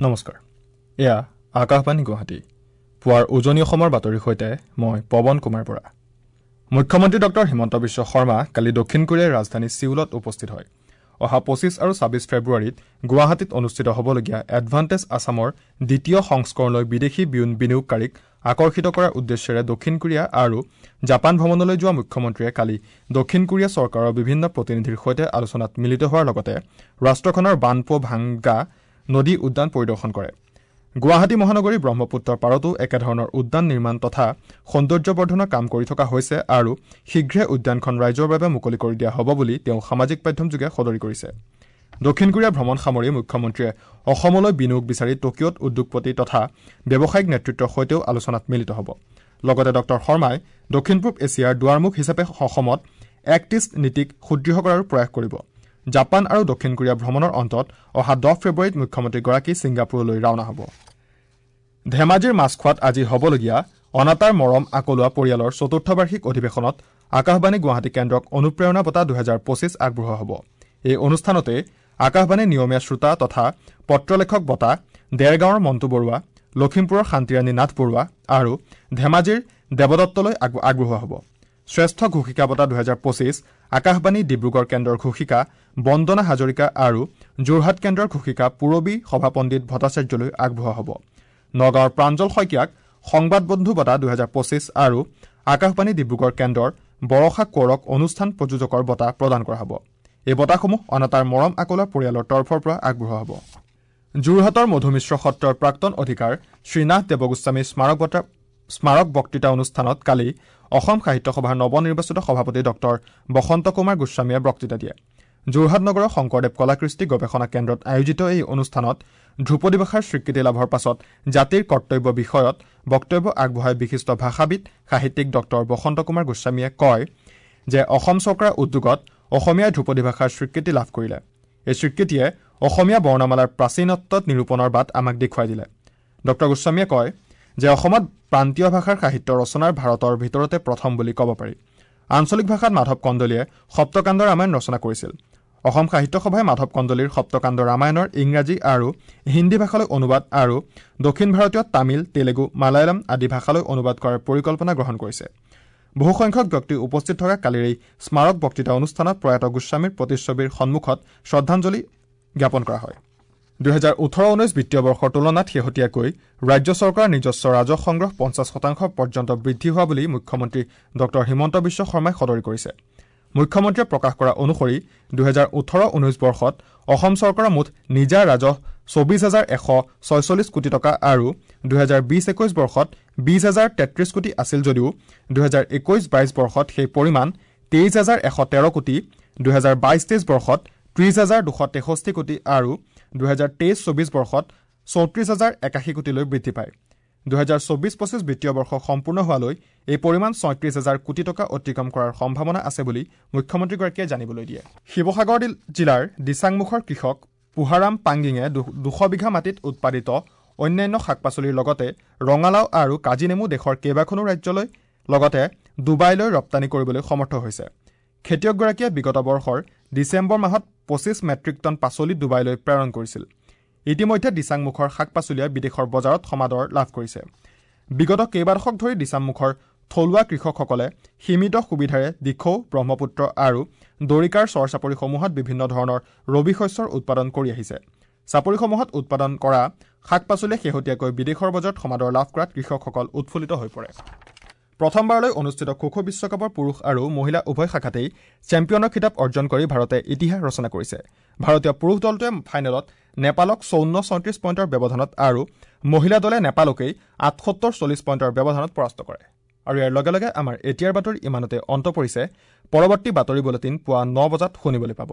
নমস্কাৰ, এয়া আকাশবাণী গুৱাহাটী। পুৱাৰ উজনি অসমৰ বাতৰিৰ সৈতে মই পৱন কুমাৰ বৰা। মুখ্যমন্ত্ৰী ডক্টৰ হিমন্ত বিশ্ব শৰ্মা কালি দক্ষিণ কোৰিয়াৰ ৰাজধানী ছিউলত উপস্থিত হয়। অহা 25 আৰু 26 ফেব্ৰুৱাৰীত গুৱাহাটীত অনুষ্ঠিত হ'বলগীয়া এডভান্টেজ আছামৰ দ্বিতীয় সংস্কৰণলৈ বিদেশী বিনিয়োগকাৰীক আকৰ্ষিত কৰাৰ উদ্দেশ্যেৰে দক্ষিণ কোৰিয়া আৰু জাপান ভ্ৰমণলৈ যোৱা মুখ্যমন্ত্ৰীয়ে কালি দক্ষিণ কোৰিয়া চৰকাৰৰ বিভিন্ন প্ৰতিনিধিৰ সৈতে আলোচনাত মিলিত হোৱাৰ লগতে ৰাষ্ট্ৰখনৰ বানপো ভাংগা নদী উদ্যান পৰিদৰ্শন কৰে। গুৱাহাটী মহানগৰী ব্ৰহ্মপুত্ৰৰ পাৰতো একেধৰণৰ উদ্যান নিৰ্মাণ তথা সৌন্দৰ্যবৰ্ধনৰ কাম কৰি থকা হৈছে আৰু শীঘ্ৰে উদ্যানখন ৰাইজৰ বাবে মুকলি কৰি দিয়া হ'ব বুলি তেওঁ সামাজিক মাধ্যমযোগে সদৰি কৰিছে। দক্ষিণ কোৰিয়া ভ্ৰমণ সামৰি মুখ্যমন্ত্ৰীয়ে অসমলৈ বিনিয়োগ বিচাৰি টকিঅ'ত উদ্যোগপতি তথা ব্যৱসায়িক নেতৃত্বৰ সৈতেও আলোচনাত মিলিত হ'ব। লগতে ডক্টৰ শৰ্মাই দক্ষিণ পূব এছিয়াৰ দুৱাৰমুখ হিচাপে অসমত এক্ট ইষ্ট নীতিক সুদৃঢ় কৰাৰো প্ৰয়াস কৰিব। জাপান আৰু দক্ষিণ কোৰিয়া ভ্ৰমণৰ অন্তত অহা 10 ফেব্ৰুৱাৰীত মুখ্যমন্ত্ৰীগৰাকী ছিংগাপুৰলৈ ৰাওনা হ'ব। ধেমাজিৰ মাছখোৱাত আজি হ'বলগীয়া অনাতাঁৰ মৰম আকলোৱা পৰিয়ালৰ চতুৰ্থ বাৰ্ষিক অধিৱেশনত আকাশবাণী গুৱাহাটী কেন্দ্ৰক অনুপ্ৰেৰণা বঁটা 2025 আগবঢ়োৱা হ'ব। এই অনুষ্ঠানতে আকাশবাণী নিয়মীয়া শ্ৰোতা তথা পত্ৰলেখক বঁটা দেৰগাঁৱৰ মণ্টু বৰুৱা, লখিমপুৰৰ শান্তিৰাণী নাথ বৰুৱা আৰু ধেমাজিৰ দেৱদত্তলৈ আগবঢ়োৱা হ'ব। শ্ৰেষ্ঠ ঘোষিকা বঁটা 2025 আকাশবাণী ডিব্ৰুগড় কেন্দ্ৰৰ ঘোষিকা বন্দনা হাজৰিকা আৰু যোৰহাট কেন্দ্ৰৰ ঘোষিকা পূৰবী সভাপণ্ডিত ভট্টাচাৰ্যলৈ আগবঢ়োৱা হ'ব। নগাঁৱৰ প্ৰাঞ্জল শইকীয়াক সংবাদ বন্ধু বঁটা 2025 আৰু আকাশবাণী ডিব্ৰুগড় কেন্দ্ৰৰ বৰষা কোঁৱৰক অনুষ্ঠান প্ৰযোজকৰ বঁটা প্ৰদান কৰা হ'ব। এই বঁটাসমূহ অনাতাঁৰ মৰম আকলোৱা পৰিয়ালৰ তৰফৰ পৰা আগবঢ়োৱা হ'ব। যোৰহাটৰ মধুমিশ্ৰ সত্ৰৰ প্ৰাক্তন অধিকাৰ শ্ৰীনাথ দেৱগোস্বামী স্মাৰক বক্তৃতা অনুষ্ঠানত কালি অসম সাহিত্য সভাৰ নৱনিৰ্বাচিত সভাপতি ডক্টৰ বসন্ত কুমাৰ গোস্বামীয়ে বক্তৃতা দিয়ে। যোৰহাট নগৰৰ শংকৰদেৱ কলাকৃষ্টি গৱেষণা কেন্দ্ৰত আয়োজিত এই অনুষ্ঠানত ধ্ৰুপদী ভাষাৰ স্বীকৃতি লাভৰ পাছত জাতিৰ কৰ্তব্য বিষয়ত বক্তব্য আগবঢ়াই বিশিষ্ট ভাষাবিদ সাহিত্যিক ডক্টৰ বসন্ত কুমাৰ গোস্বামীয়ে কয় যে অসম চৰকাৰৰ উদ্যোগত অসমীয়াই ধ্ৰুপদী ভাষাৰ স্বীকৃতি লাভ কৰিলে। এই স্বীকৃতিয়ে অসমীয়া বৰ্ণমালাৰ প্ৰাচীনত্ব নিৰূপণৰ বাট আমাক দেখুৱাই দিলে। ডক্টৰ গোস্বামীয়ে কয় যে অসমত প্ৰান্তীয় ভাষাৰ সাহিত্য ৰচনাৰ ভাৰতৰ ভিতৰতে প্ৰথম বুলি ক'ব পাৰি। আঞ্চলিক ভাষাত মাধৱ কন্দলীয়ে সপ্তকাণ্ড ৰামায়ণ ৰচনা কৰিছিল। অসম সাহিত্য সভাই মাধৱ কন্দলীৰ সপ্তকাণ্ড ৰামায়ণৰ ইংৰাজী আৰু হিন্দী ভাষালৈ অনুবাদ আৰু দক্ষিণ ভাৰতীয় তামিল, তেলেগু, মালায়ালম আদি ভাষালৈ অনুবাদ কৰাৰ পৰিকল্পনা গ্ৰহণ কৰিছে। বহুসংখ্যক ব্যক্তি উপস্থিত থকা কালিৰ এই স্মাৰক বক্তৃতা অনুষ্ঠানত প্ৰয়াত গোস্বামীৰ প্ৰতিচ্ছবিৰ সন্মুখত শ্ৰদ্ধাঞ্জলি জ্ঞাপন কৰা হয়। 2018-19 বিত্তীয় বৰ্ষৰ তুলনাত শেহতীয়াকৈ ৰাজ্য চৰকাৰৰ নিজস্ব ৰাজহ সংগ্ৰহ 50% পৰ্যন্ত বৃদ্ধি হোৱা বুলি মুখ্যমন্ত্ৰী ডক্টৰ হিমন্ত বিশ্ব শৰ্মাই সদৰি কৰিছে। মুখ্যমন্ত্ৰীয়ে প্ৰকাশ কৰা অনুসৰি 2018-19 বৰ্ষত অসম চৰকাৰৰ মুঠ নিজা ৰাজহ 24,146 কোটি টকা আৰু 2020-21 বৰ্ষত 20,033 কোটি আছিল যদিও 2021-22 বৰ্ষত সেই পৰিমাণ 23,113 কোটি, 2022-23 বৰ্ষত 30,263 কোটি আৰু 2023-24 বৰ্ষত 34,081 কোটিলৈ বৃদ্ধি পায়। 2024-25 বিত্তীয় বৰ্ষ সম্পূৰ্ণ হোৱালৈ এই পৰিমাণ 36,000 কোটি টকা অতিক্ৰম কৰাৰ সম্ভাৱনা আছে বুলি মুখ্যমন্ত্ৰীগৰাকীয়ে জানিবলৈ দিয়ে। শিৱসাগৰ জিলাৰ দিচাংমুখৰ কৃষক পুহাৰাম পাংগিঙে 200 বিঘা মাটিত উৎপাদিত অন্যান্য শাক পাচলিৰ লগতে ৰঙালাও আৰু কাজি নেমু দেশৰ কেইবাখনো ৰাজ্যলৈ লগতে ডুবাইলৈ ৰপ্তানি কৰিবলৈ সমৰ্থ হৈছে। খেতিয়কগৰাকীয়ে বিগত বৰ্ষৰ ডিচেম্বৰ মাহত 25 মেট্ৰিক টন পাচলি ডুবাইলৈ প্ৰেৰণ কৰিছিল। ইতিমধ্যে দিচাংমুখৰ শাক পাচলিয়ে বিদেশৰ বজাৰত সমাদৰ লাভ কৰিছে। বিগত কেইবাদশক ধৰি দিচাংমুখৰ থলুৱা কৃষকসকলে সীমিত সুবিধাৰে দিখৌ, ব্ৰহ্মপুত্ৰ আৰু দৰিকাৰ চৰ চাপৰিসমূহত বিভিন্ন ধৰণৰ ৰবি শস্যৰ উৎপাদন কৰি আহিছে। চাপৰিসমূহত উৎপাদন কৰা শাক পাচলিয়ে শেহতীয়াকৈ বিদেশৰ বজাৰত সমাদৰ লাভ কৰাত কৃষকসকল উৎফুল্লিত হৈ পৰে। প্ৰথমবাৰলৈ অনুষ্ঠিত খো খো বিশ্বকাপৰ পুৰুষ আৰু মহিলা উভয় শাখাতেই চেম্পিয়নৰ খিতাপ অৰ্জন কৰি ভাৰতে ইতিহাস ৰচনা কৰিছে। ভাৰতীয় পুৰুষ দলটোৱে ফাইনেলত নেপালক 54-36 পইণ্টৰ ব্যৱধানত আৰু মহিলা দলে নেপালকেই 78-40 পইণ্টৰ ব্যৱধানত পৰাস্ত কৰে। আৰু ইয়াৰ লগে লগে আমাৰ এতিয়াৰ বাতৰি ইমানতে অন্ত পৰিছে। পৰৱৰ্তী বাতৰি বুলেটিন পুৱা 9 বজাত শুনিবলৈ পাব।